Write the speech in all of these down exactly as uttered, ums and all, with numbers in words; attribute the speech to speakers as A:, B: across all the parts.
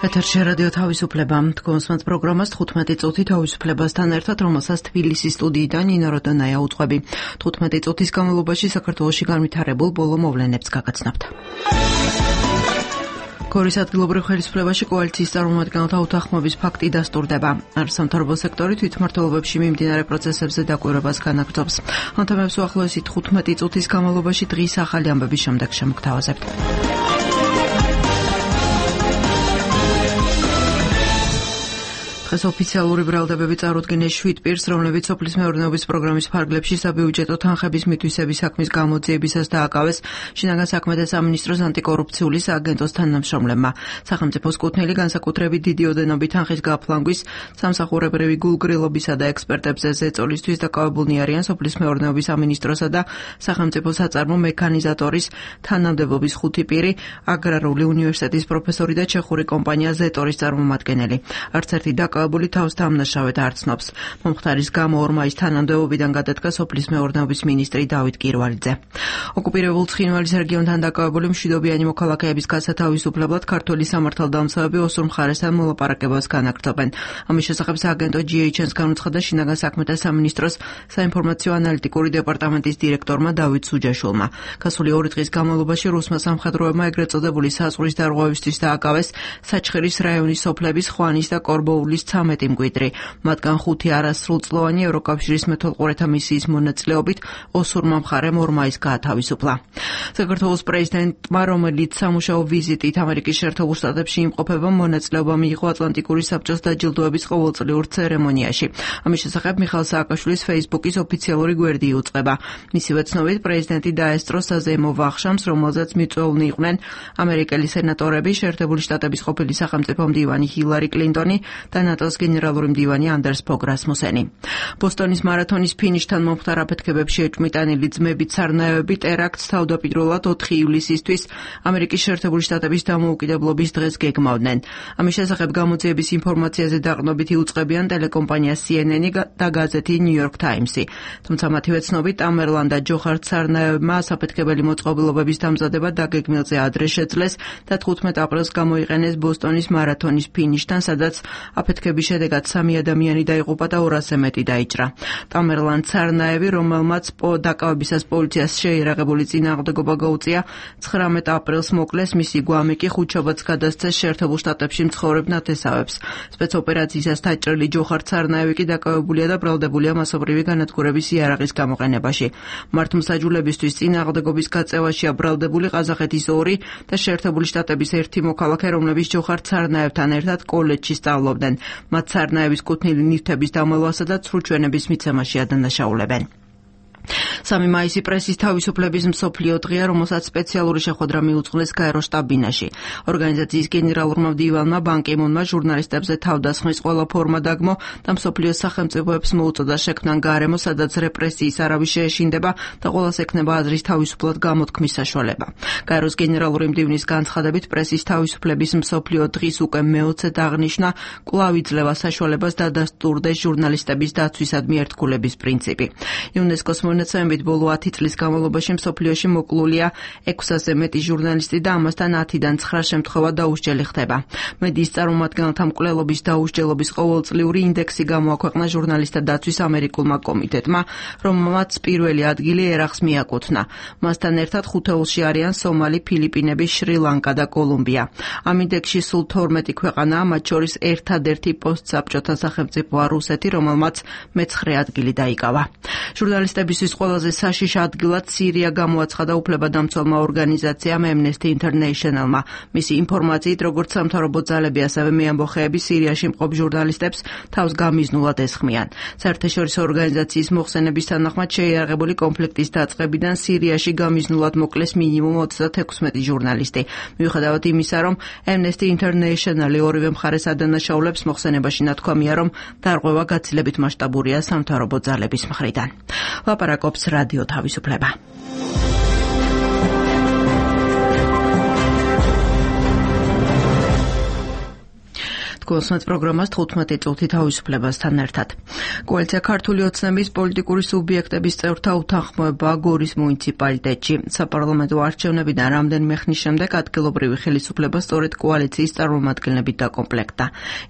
A: ეთერში რადიო თავისუფლება. თქვენს პროგრამას თხუთმეტი წუთი თავისუფლებასთან ერთად, რომელსაც თბილისის სტუდიიდან ნინო როდონაია უძღვები. თხუთმეტი წუთის განმავლობაში საქართველოში განვითარებულ ბოლო მოვლენებს გაგაცნობთ. გორის ადგილობრივ ხელისუფლებაში კოალიციის წარმომადგენელთა უთანხმოების ფაქტი დასტურდება. არასამთავრობო სექტორი თვითმმართველობებში მიმდინარე პროცესებზე დაკვირვებას განაგრძობს. ამ თემებს უახლოესი თხუთმეტი წუთის განმავლობაში დღის ახალი ამბების შემდეგ შემოგთავაზებთ. დღეს ოფიციალური ბრალდებები წარუდგინეს შვიდ პირს, რომლებიც სოფლის მეურნეობის პროგრამის ფარგლებში საბიუჯეტო თანხების მითვისების საქმის გამოძიებისას დააკავეს შინაგან საქმეთა სამინისტროს ანტიკორუფციული სააგენტოს თანამშრომლებმა. სახელმწიფოს კუთვნილი განსაკუთრებით დიდი ოდენობით თანხის გაფლანგვის, სამსახურებრივი გულგრილობისა და ექსპერტებზე ზეწოლისთვის დაკავებულნი არიან სოფლის მეურნეობის სამინისტროსა და სახელმწიფო საწარმო მექანიზატორის თანამდებობის ხუთი პირი, აგრარული უნივერსიტეტის პროფესორი და ჩეხური კომპანია ზეტორის წარმომადგენელი. არც ერთი დაკავებული თავს დამნაშავედ არ ცნობს. მომხდარის გამო ორ მაისს თანამდებობიდან გადადგა სოფლის მეურნეობის მინისტრი დავით კირვალიძე. ოკუპირებულ ცხინვალის რეგიონთან დაკავებული მშვიდობიანი მოქალაქეების გასათავისუფლებლად ქართველი სამართალდამცავები ოსურ მხარესთან მოლაპარაკებას განაგრძობენ. ამის შესახებ სააგენტო ჯი ეიჩ ენს განუცხადა შინაგან საქმეთა სამინისტროს საინფორმაციო ანალიტიკური დეპარტამენტის დირექტორმა დავით სუჯაშვილმა. გასული ორი დღის განმავლობაში რუსმა სამხედროებმა ეგრეთ წოდებული საზღვრის დარღვევისთვის დააკავეს საჩხერის რაიონის სოფლების ხვანის და კორბოულის ცამეტი მკვიდრი. მათგან ხუთი არასრულწლოვანი ევროკავშირის მეთვალყურეთა მისიის მონაწილეობით ოსურმა მხარემ ორ მაისს გაათავისუფლა. საქართველოს პრეზიდენტმა, რომელიც სამუშაო ვიზიტით ამერიკის შეერთებულ შტატებში იმყოფება, მონაწილეობა მიიღო ატლანტიკური საბჭოს დაჯილდოების ყოველწლიურ ცერემონიაში. ამის შესახებ მიხაილ სააკაშვილის ფეისბუქის ოფიციალური გვერდი იუწყება. მისივე ცნობით, პრეზიდენტი დაესწრო საზეიმო ვახშამს, რომელზეც მიწვეულნი იყვნენ ამერიკელი სენატორები, შეერთებული შტატების ყოფილი სახელმწიფო მდივანი ჰილარი კლინტონი და ნატოს გენერალური მდივანი ანდერს ფოგ რასმუსენი. ბოსტონის მარათონის ფინიშთან მომხდარ აფეთქებებში ეჭვმიტანილი ძმებით სარნაევები ტერაქტს თავდაპირველად ოთხი ივლისისთვის ამერიკის შეერთებული შტატების დამოუკიდებლობის დღეს გეგმავდნენ. ამის შესახებ გამოძიების ინფორმაციაზე დაყრდნობით იუწყებიან ტელეკომპანია სი ენ ენი და გაზეთი ნიუ-იორკ ტაიმსი. თუმცა მათივე ცნობით ამერლან და ჯოხარ სარნაევებმა საფეთქებელი მოწყობილობების დამზადება დაგეგმილზე ადრე შეძლეს და თხუთმეტ აპრილს გამოიყენეს ბოსტონის მარათონის ფინიშთან, სადაც აფეთქების შედეგად სამი ადამიანი დაიღუპა და ორასზე მეტი დაიჭრა. ტამერლან სარნაევი, რომელმაც დაკავებისას პოლიციას შეიარაღებული წინააღმდეგობა გაუწია, ცხრამეტ აპრილს მოკლეს, მისი გვამი კი ხუთშაბათს გადასცეს შეერთებულ შტატებში მცხოვრებ ნათესავებს. სპეცოპერაციისას დაჭრილი ჯოხარ სარნაევი კი დაკავებულია და ბრალდებულია მასობრივი განადგურების იარაღის გამოყენებაში. მართლმსაჯულებისთვის წინააღმდეგობის გაწევაშია ბრალდებული ყაზახეთის ორი და შეერთებული შტატების ერთი მოქალაქე, რომლებიც ჯოხარ სარნაევთან ერთად კოლეჯში სწავლობდნენ. მათ სარნაევის კუთვნილი ნივთების დამალვასა და ცრუჩვენების მიცემაში ადანაშაულებენ. სამი მაისი პრესის თავისუფლების მსოფლიო დღეა, რომელსაც სპეციალური შეხვედრა მიუძღვნეს გაეროს შტაბ-ბინაში. ორგანიზაციის გენერალურმა მდივანმა ბან კი მუნმა ჟურნალისტებზე თავდასხმის ყველა ფორმა დაგმო და მსოფლიოს სახელმწიფოებს მოუწოდა შექმნან გარემო, სადაც რეპრესიის არავის შეეშინდება და ყველას ექნება აზრის თავისუფლად გამოთქმის საშუალება. გაეროს გენერალური მდივნის განცხადებით, პრესის თავისუფლების მსოფლიო დღის უკვე მეოცედ აღნიშვნა კვლავ იძლევა საშუალებას დადასტურდეს ჟურნალისტების დაცვისადმი ერთგულების პრინციპი. იუნესკოს მონაცემებით ბოლო ათი წლის განმავლობაში მსოფლიოში მოკლულია ექვსასზე მეტი ჟურნალისტი და ამასთან ათიდან ცხრა შემთხვევა დაუსჯელი ხდება. მედიის წარმომადგენელთა მკვლელობის დაუსჯელობის ყოველწლიური ინდექსი გამოაქვეყნა ჟურნალისტთა დაცვის ამერიკულმა კომიტეტმა, რომელმაც პირველი ადგილი ერახს მიაკუთვნა. მასთან ერთად ხუთეულში არიან სომალი, ფილიპინები, შრი-ლანკა და კოლუმბია. ამ ინდექსში სულ თორმეტი ქვეყანაა, მათ შორის ერთადერთი პოსტსაბჭოთა სახელმწიფოა რუსეთი, რომელმაც მეცხრე ადგილი დაიკავა. ჟურნალისტებისთვის ყველაზე საშიშ ადგილად სირია გამოაცხადა უფლებადამცველმა ორგანიზაციამ Amnesty International-მა. მისი ინფორმაციით, როგორც სამთავრობო ძალები, ასევე მეამბოხეები სირიაში მყოფ ჟურნალისტებს თავს გამიზნულად ესხმიან. საერთაშორისო ორგანიზაციის მოხსენების თანახმად, შეიარაღებული კონფლიქტის დაწყებიდან სირიაში გამიზნულად მოკლეს მინიმუმ ოცდათექვსმეტი ჟურნალისტი. მიუხედავად იმისა, რომ Amnesty International-ი ორივე მხარეს ადანაშაულებს, მოხსენებაში ნათქვამია, რომ დარღვევა გაცილებით მასშტაბურია სამთავრობო ძალების მხრიდან. ლაპარაკობს რადიო თავისუფლება. გულსმენთ პროგრამას თხუთმეტი წუთი თავისუფლებასთან ერთად. კოალიცია ქართული ოცნების პოლიტიკური სუბიექტების წევრთა უთანხმოება გორის მუნიციპალიტეტში. საპარლამენტო არჩევნებიდან რამდენიმე ხნის შემდეგ ადგილობრივი ხელისუფლება სწორედ კოალიციის წარმომადგენლებით დაკომპლექტდა.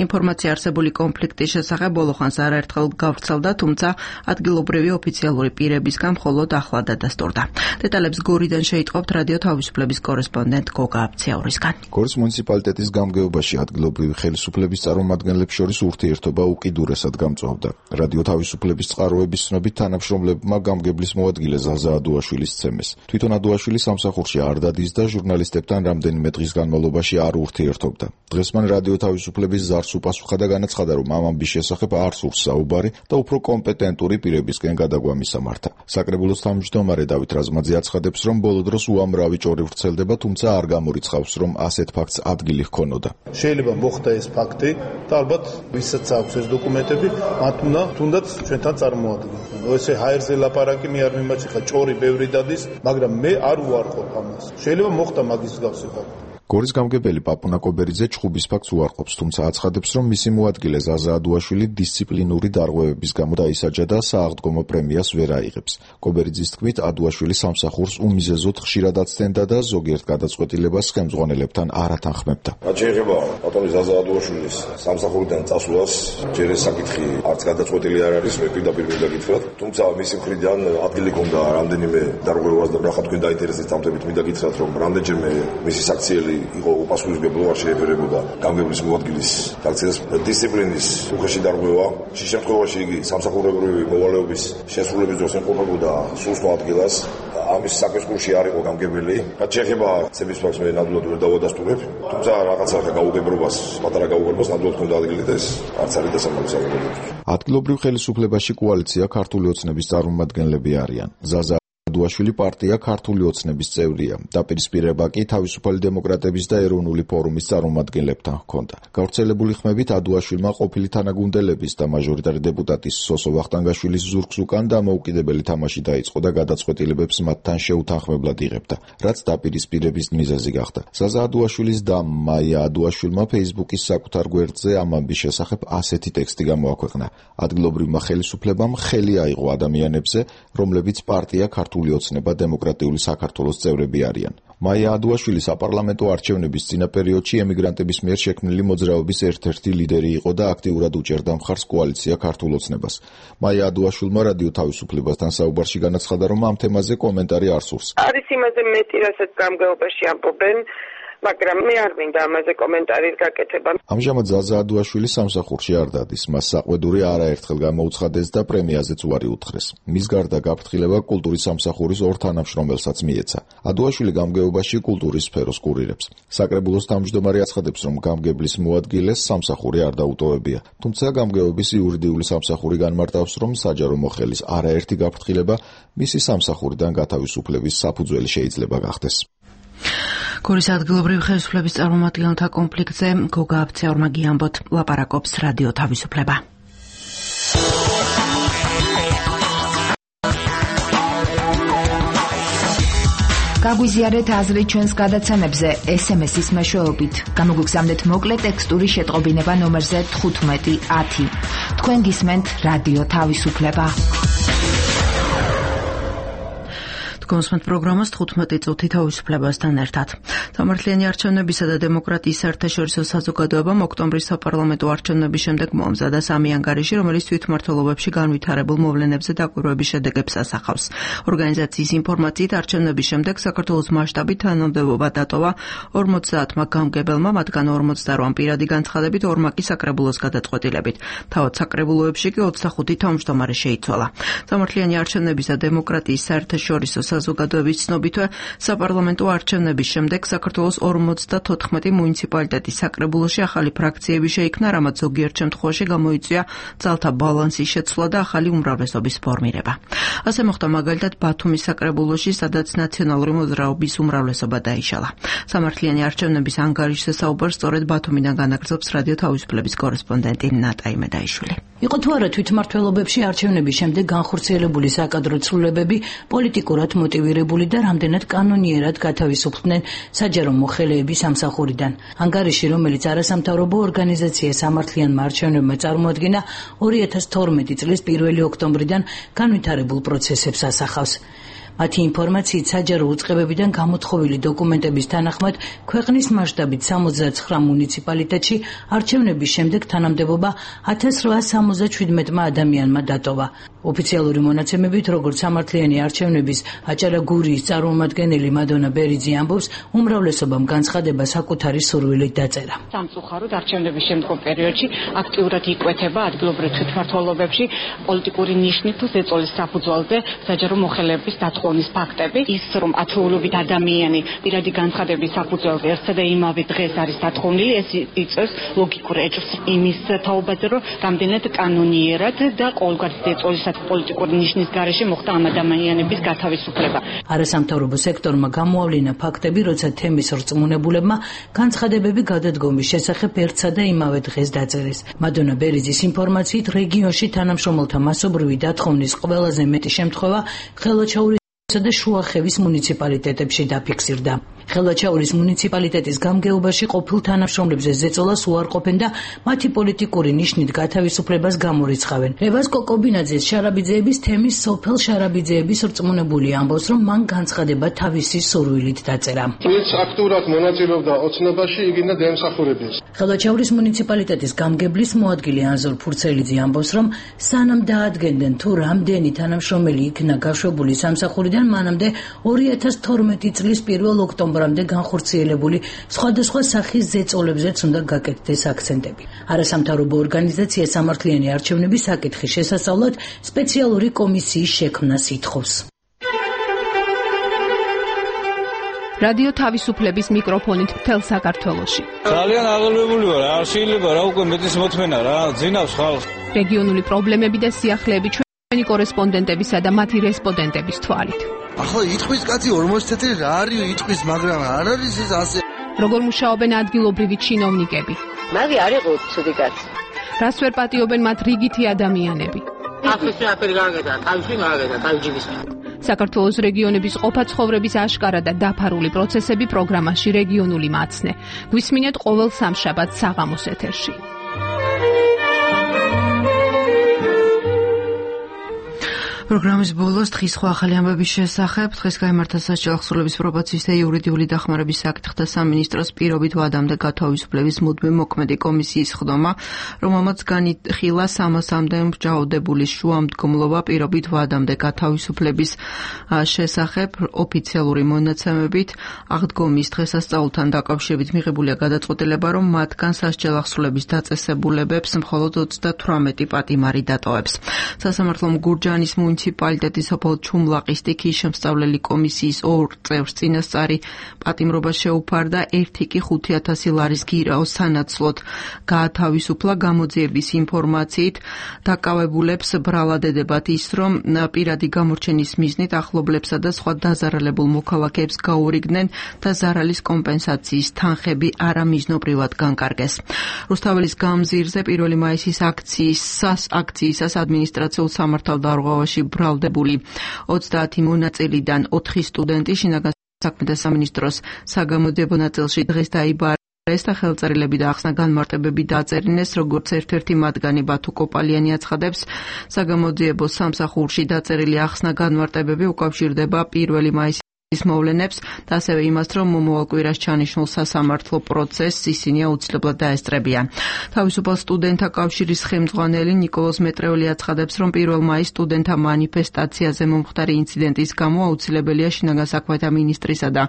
A: ინფორმაცია არსებული კონფლიქტის შესახებ ბოლოხანს არაერთხელ გავრცელდა, თუმცა ადგილობრივი ოფიციალური პირებისგან მხოლოდ ახლა დადასტურდა. დეტალებს გორიდან შეიტყობთ რადიო თავისუფლების კორესპონდენტ გოგა აბციაურისგან.
B: გორის მუნიციპალიტეტის გამგეობაში ადგილობრივი ხელისუფლების წარმომადგენლებს შორის ურთიერთობა უკიდურესად გამწვავდა. რადიო თავისუფლების წყაროების ცნობით თანამშრომლებმა გამგებლის მოადგილე ზაზა ადუაშვილის ცემეს. თვითონ ადუაშვილი სამსახურში არ დადის და ჟურნალისტებთან რამდენიმე დღის განმავლობაში არ ურთიერთობდა. დღეს მან რადიო თავისუფლების ზარს უპასუხა და განაცხადა, რომ ამ ამბის შესახებ არ სურს საუბარი და უფრო კომპეტენტური პირებისკენ გადაგვა მისამართა. საკრებულოს თავმჯდომარე დავით რაზმაძე აცხადებს, რომ ბოლო დროს უამრავი ჭორი ვრცელდება, თუმცა არ გამორიცხავს, რომ ასეთ ფაქტს ადგილი ჰქონოდა.
C: შეიძლება მოხდა ეს ფაქტი და ალბათ ვისაც აქვს ეს დოკუმენტები, მათ უნდა თუნდაც ჩვენთან წარმოადგინოს. ესე ჰაერზე ლაპარაკი მე არ მიმაჩნია, ჭორი ბევრი დადის, მაგრამ მე არ უარყოფ ამას. შეიძლება მოხდა მაგის მსგავსი ფაქტი.
B: გორის გამგებელი პაპუნა კობერიძე ჩხუბის ფაქტს უარყოფს, თუმცა აცხადებს, რომ მისი მოადგილე ზაზა ადუაშვილი დისციპლინური დარღვევების გამო დაისაჯა და სააღდგომო პრემიას ვერ აიღებს. კობერიძის თქმით, ადუაშვილი სამსახურს უმიზეზოდ ხშირად აცდენდა და ზოგიერთ გადაწყვეტილებას ხელმძღვანელებთან არ ათანხმებდა.
D: რაც შეეხება ბატონი ზაზა ადუაშვილის სამსახურიდან წასვლას, ჯერ ეს საკითხი არც გადაწყვეტილი არ არის, მე პირდაპირ მინდა გითხრათ, თუმცა მისი მხრიდან ადგილი ჰქონდა რამდენიმე დარღვევას და ნახა თქვენ დაინტერესებით წამთებით მინდა გითხრათ, რომ რამდენჯერმე მისი საქციელი იყო უპასუხისმგებლობა შეეფერებოდა გამგებლის მოადგილის საქციელს დისციპლინის უხეში დარღვევა. შე შემთხვევაში იგი სამსახურებრივი მოვალეობის შესრულების დროს ემყოფებოდა სულ სხვა ადგილას. ამის საქმის კურსში არ იყო გამგებელი. რაც შეეხება ცების ფაქტს მე ნამდვილად ვერ დავადასტურებ, თუმცა რაღაცა გაუგებრობას, პატარა გაუგებრობას ნამდვილად ჰქონდა ადგილი და ეს არც არის დასამალსებელი.
B: ადგილობრივ ხელისუფლებაში კოალიცია ქართული ოცნების წარმომადგენლები არიან. ზაზა ადუაშვილი პარტია ქართული ოცნების წევრია. დაპირისპირება კი თავისუფალი დემოკრატების და ეროვნული ფორუმის წარმომადგენლებთან ჰქონდა. გავრცელებული ხმებით ადუაშვილმა ყოფილი თანაგუნდელების და მაჟორიტარი დეპუტატის სოსო ვახტანგაშვილის ზურგს უკან დამოუკიდებელი თამაში დაიწყო და გადაწყვეტილებებს მათთან შეუთანხმებლად იღებდა, რაც დაპირისპირების მიზეზი გახდა. ზაზა ადუაშვილის და მაია ადუაშვილმა ფეისბუქის საკუთარ გვერდზე ამ ამბის შესახებ ასეთი ტექსტი გამოაქვეყნა. ადგილობრივმა ხელისუფლებამ ხელი აიღო ადამიანებზე, რომლებიც პარტია ქართული ოცნება დემოკრატიული საქართველოს წევრები არიან. მაია ადუაშვილი საპარლამენტო არჩევნების წინა პერიოდში ემიგრანტების მიერ შექმნილი მოძრაობის ერთ-ერთი ლიდერი იყო და აქტიურად უჭერდა მხარს კოალიცია ქართულ ოცნებას. მაია ადუაშვილმა რადიო თავისუფლებასთან საუბარში განაცხადა, რომ ამ თემაზე კომენტარი არ სურს.
E: არის იმაზე მეტი, რასაც გამგეობაში ამბობენ, მაგრამ მე არ მინდა ამაზე კომენტარის გაკეთება.
B: ამჟამად ზაზა ადუაშვილი სამსახურში არ დადის. მას საყვედური არაერთხელ გამოუცხადეს და პრემიაზეც უარი უთხრეს. მის გარდა გაფრთხილება კულტურის სამსახურის ორ თანამშრომელსაც მიეცა. ადუაშვილი გამგეობაში კულტურის სფეროს კურირებს. საკრებულოს თავმჯდომარე აცხადებს, რომ გამგებლის მოადგილეს სამსახური არ დაუტოვებია. თუმცა გამგეობის იურიდიული სამსახური განმარტავს, რომ საჯარო მოხელის არაერთი გაფრთხილება მისი სამსახურიდან გათავისუფლების საფუძველი შეიძლება გახდეს.
A: გორის ადგილობრივი ხელისუფლების წარმომადგენელთა კონფლიქტზე გოგა აბციაურმა გიამბოთ, ლაპარაკობს რადიო თავისუფლება.
F: გაგვიზიარეთ აზრი ჩვენს გადაცემებზე ეს ემ ესის მეშვეობით. გამოგვიგზავნეთ მოკლე ტექსტური შეტყობინება ნომერზე თხუთმეტი ათი. თქვენ გისმენთ რადიო თავისუფლება. გულსმენთ პროგრამას თხუთმეტი წუთი თავისუფლებასთან ერთად. სამართლიანი არჩევნებისა და დემოკრატიის საერთაშორისო საზოგადოებამ ოქტომბრის საპარლამენტო არჩევნების შემდეგ მოამზადა სამი ანგარიში, რომელიც თვითმმართველობებში განვითარებულ მოვლენებზე დაკვირვების შედეგებს ასახავს. ორგანიზაციის ინფორმაციით, არჩევნების შემდეგ საქართველოს მასშტაბით თანამდებობა დატოვა ორმოცდაათმა გამგებელმა, მათგან ორმოცდაორი პირადი განცხადებით, ორმა კი საკრებულოს გადაწყვეტილებით. თავად საკრებულოებში კი ოცდახუთი თავმჯდომარე შეიცვალა. სამართლიანი არჩევნების და დემოკრატიის საერთაშორისო საზოგადოების ცნობითვე საპარლამენტო არჩევნების შემდეგ საქართველოს ორმოცდათოთხმეტი მუნიციპალიტეტის საკრებულოში ახალი ფრაქციები შეიქმნა, რამაც ზოგიერთ შემთხვევაში გამოიწვია ძალთა ბალანსის შეცვლა და ახალი უმრავლესობის ფორმირება. ასე მოხდა მაგალითად ბათუმის საკრებულოში, სადაც ნაციონალური მოძრაობის უმრავლესობა დაიშალა. სამართლიანი არჩევნების ანგარიშზე საუბარს სწორედ ბათუმიდან განაგრძობს რადიო თავისუფლების კორესპონდენტი ნატა იმედაიშვილი.
G: იყო თუ არა თვითმმართველობებში არჩევნების შემდეგ განხორციელებული საკადრო ცვლილებები პოლიტიკურად მოტივირებული და რამდენად კანონიერად გათავისუფლდნენ საჯარო მოხელეები სამსახურიდან. ანგარიში, რომელიც არასამთავრობო ორგანიზაცია სამართლიანმა არჩევნებმა წარმოადგინა, ორი ათას თორმეტი წლის პირველი ოქტომბრიდან განვითარებულ პროცესებს ასახავს. მათი ინფორმაციით საჯარო უწყებებიდან გამოთხოვილი დოკუმენტების თანახმად ქვეყნის მასშტაბით სამოცდაცხრა მუნიციპალიტეტში არჩევნების შემდეგ თანამდებობა ათას რვაას სამოცდაჩვიდმეტმა ადამიანმა დატოვა. ოფიციალური მონაცემებით, როგორც სამართლიანი არჩევნების აჭარა გურიის წარმომადგენელი მადონა ბერიძე ამბობს, უმრავლესობამ განცხადება საკუთარი სურვილით დაწერა.
H: სამწუხაროდ არჩევნების შემდგომ პერიოდში აქტიურად იკვეთება ადგილობრივ თვითმმართველობებში პოლიტიკური ნიშნით თუ ზეწოლის საფუძველზე საჯარო მოხელეების ხოვნის ფაქტები, ის რომ ათეულობით ადამიანი პირადი განცხადების საფუძველზე ერთსა და იმავე დღეს არის დათხოვნილი, ეს იწვევს ლოგიკურ ეჭვს იმის თაობაზე, რომ რამდენად კანონიერად და ყოველგვარი ზეწოლისა პოლიტიკური ნიშნის გარეშე მოხდა ამ ადამიანების გათავისუფლება.
G: არასამთავრობო სექტორმა გამოავლინა ფაქტები, როცა თემის რწმუნებულებმა განცხადებები გადადგომის შესახებ ერთსა და იმავე დღეს დაწერეს. მადონა ბერიძის ინფორმაციით, რეგიონში თანამშრომელთა მასობრივი დათხოვნის ყველაზე მეტი შემთხვევა ხელვაჩაურის და შუახევის მუნიციპალიტეტებში დაფიქსირდა. ხელვაჩაურის მუნიციპალიტეტის გამგეობაში ყოფილ თანამშრომლებზე ზეწოლას უარყოფენ და მათი პოლიტიკური ნიშნით გათავისუფლებას გამორიცხავენ. რევაზ კოკობინაძეს შარაბიძეების თემის სოფელ შარაბიძეების რწმუნებული ამბობს, რომ მან განცხადება თავისი სურვილით დაწერა.
I: ვინც აქტიურად მონაწილეობდა ოცნებაში, იგინა დაემსახურებიეს.
G: ხელვაჩაურის მუნიციპალიტეტის გამგებლის მოადგილე ანზორ ფურცელიძე ამბობს, რომ სანამ დაადგენდნენ თუ რამდენი თანამშრომელი იქნა გაშვებული სამსახურიდან, მანამდე ორი ათას თორმეტი წლის პირველ ოქტომბრამდე განხორციელებული სხვადასხვა სახის ზეწოლებზეც უნდა გაკეთდეს აქცენტები. არასამთავრობო ორგანიზაცია სამართლიანი არჩევნების საკითხის შესასწავლად სპეციალური კომისიის შექმნას ითხოვს.
J: რადიო თავისუფლების მიკროფონით მთელ საქართველოში.
K: ძალიან აღელვებული ვარ, არ შეიძლება რა უკვე მეტის მოთმენა რა, ძინავს ხალხს.
J: რეგიონული პრობლემები და სიახლეები ჩვენი კორესპონდენტებისა და მათი რესპონდენტების თვალით.
L: ახლა იტყვის კაცი ორმოცი თეთრი რა არის იტყვის, მაგრამ არ არის ეს ასე.
J: როგორ მუშაობენ ადგილობრივი ჩინოვნიკები?
M: მაგი არ იყო ცუდი კაცი.
J: რას ვერ პატიობენ მათ რიგითი ადამიანები?
M: ახლა აფერი გააკეთა, თავში გააკეთა, თავჯიბის.
J: საქართველოს რეგიონების ყოფა ცხოვრების აშკარა და დაფარული პროცესები პროგრამაში რეგიონული მაცნე. გვისმინეთ ყოველ სამშაბათს საღამოს ეთერში.
A: პროგრამის ბოლოს დღის სხვა ახალი ამბების შესახებ. დღეს გაიმართა სასჯელ ახსრულების პრობაციის და იურიდიული დახმარების საკითხთა სამინისტროს პირობით ვადამდე გათავისუფლების მუდმივ მოქმედი კომისიის ხდომა, რომელმაც განიხილა სამასამდე მსჯავრდებული შუამდგომლობა პირობით ვადამდე გათავისუფლების შესახებ. ოფიციალური მონაცემებით აღდგომის დღესასწაულთან დაკავშირებით მიღებულია გადაწყვეტილება, რომ მათგან სასჯელ ახსრულების დაწესებულებებს მხოლოდ ოცდათვრამეტი პატიმარი დატოვებს. სასამართლომ გურჯაანის მუნიციპალიტეტის სოფელ ჩუმლაყის სტიქიის შემსწავლელი კომისიის ორ წევრს წინასწარი პატიმრობა შეუფარდა, ერთი კი ხუთი ათასი ლარის გირაოს სანაცვლოდ გაათავისუფლა. გამოძიების ინფორმაციით დაკავებულებს ბრალად ედებათ ის, რომ პირადი გამორჩენის მიზნით ახლობლებსა და სხვა დაზარალებულ მოქალაქეებს გაურიგდნენ და ზარალის კომპენსაციის თანხები არამიზნობრივად განკარგეს. რუსთაველის გამზირზე პირველი მაისის აქციისას აქციისას ადმინისტრაციულ სამართალდარღვევაში ბრალდებული ოცდაათი მონაწილიდან ოთხი სტუდენტი შინაგან საქმეთა სამინისტროს საგამოძიებო ნაწილში დღეს დაიბარეს და ხელწერილები და ახსნა განმარტებები დაწერინეს, როგორც ერთ-ერთი მათგანი ბათუ კოპალიანი აცხადებს, საგამოძიებო სამსახურში დაწერილი ახსნა განმარტებები უკავშირდება პირველი მაისის მოვლენებს და ასევე იმას, რომ მომავალ კვირას ჩანიშნულ სასამართლო პროცესს ისინი აუცილებლად დაესწრებიან. თავისუფალ სტუდენტთა კავშირის ხელმძღვანელი ნიკოლოზ მეტრეული აცხადებს, რომ პირველ მაისს სტუდენტთა მანიფესტაციაზე მომხდარი ინციდენტის გამო აუცილებელია შინაგან საქმეთა მინისტრისა და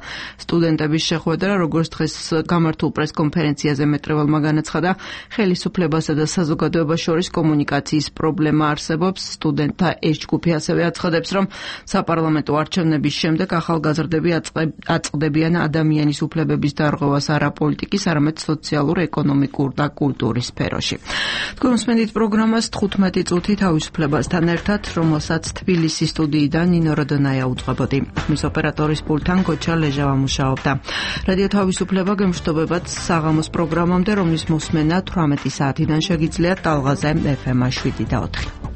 A: სტუდენტების შეხვედრა, როგორც დღეს გამართულ პრესკონფერენციაზე მეტრეველმა განაცხადა, ხელისუფლებასა და საზოგადოებას შორის კომუნიკაციის პრობლემა არსებობს. სტუდენტთა ეს ჯგუფი ასევე აცხადებს, რომ საპარლამენტო არჩევნების შემდეგ ახალგაზრდები აწყდებიან ადამიანის უფლებების დარღვევას არა პოლიტიკის, არამედ სოციალურ, ეკონომიკურ და კულტურის სფეროში. თქვენ უსმენთ პროგრამას თხუთმეტი წუთი თავისუფლებასთან ერთად, რომელსაც თბილისის სტუდიიდან ნინო როდონაია უძღვებოდი. მის ოპერატორის პულტთან გოჩა ლეჟავა მუშაობდა. რადიო თავისუფლება გემშვიდობებათ საღამოს პროგრამამდე, რომლის მოსმენა თვრამეტი საათიდან შეგიძლიათ ტალღაზე ეფ ემ შვიდი და ოთხი.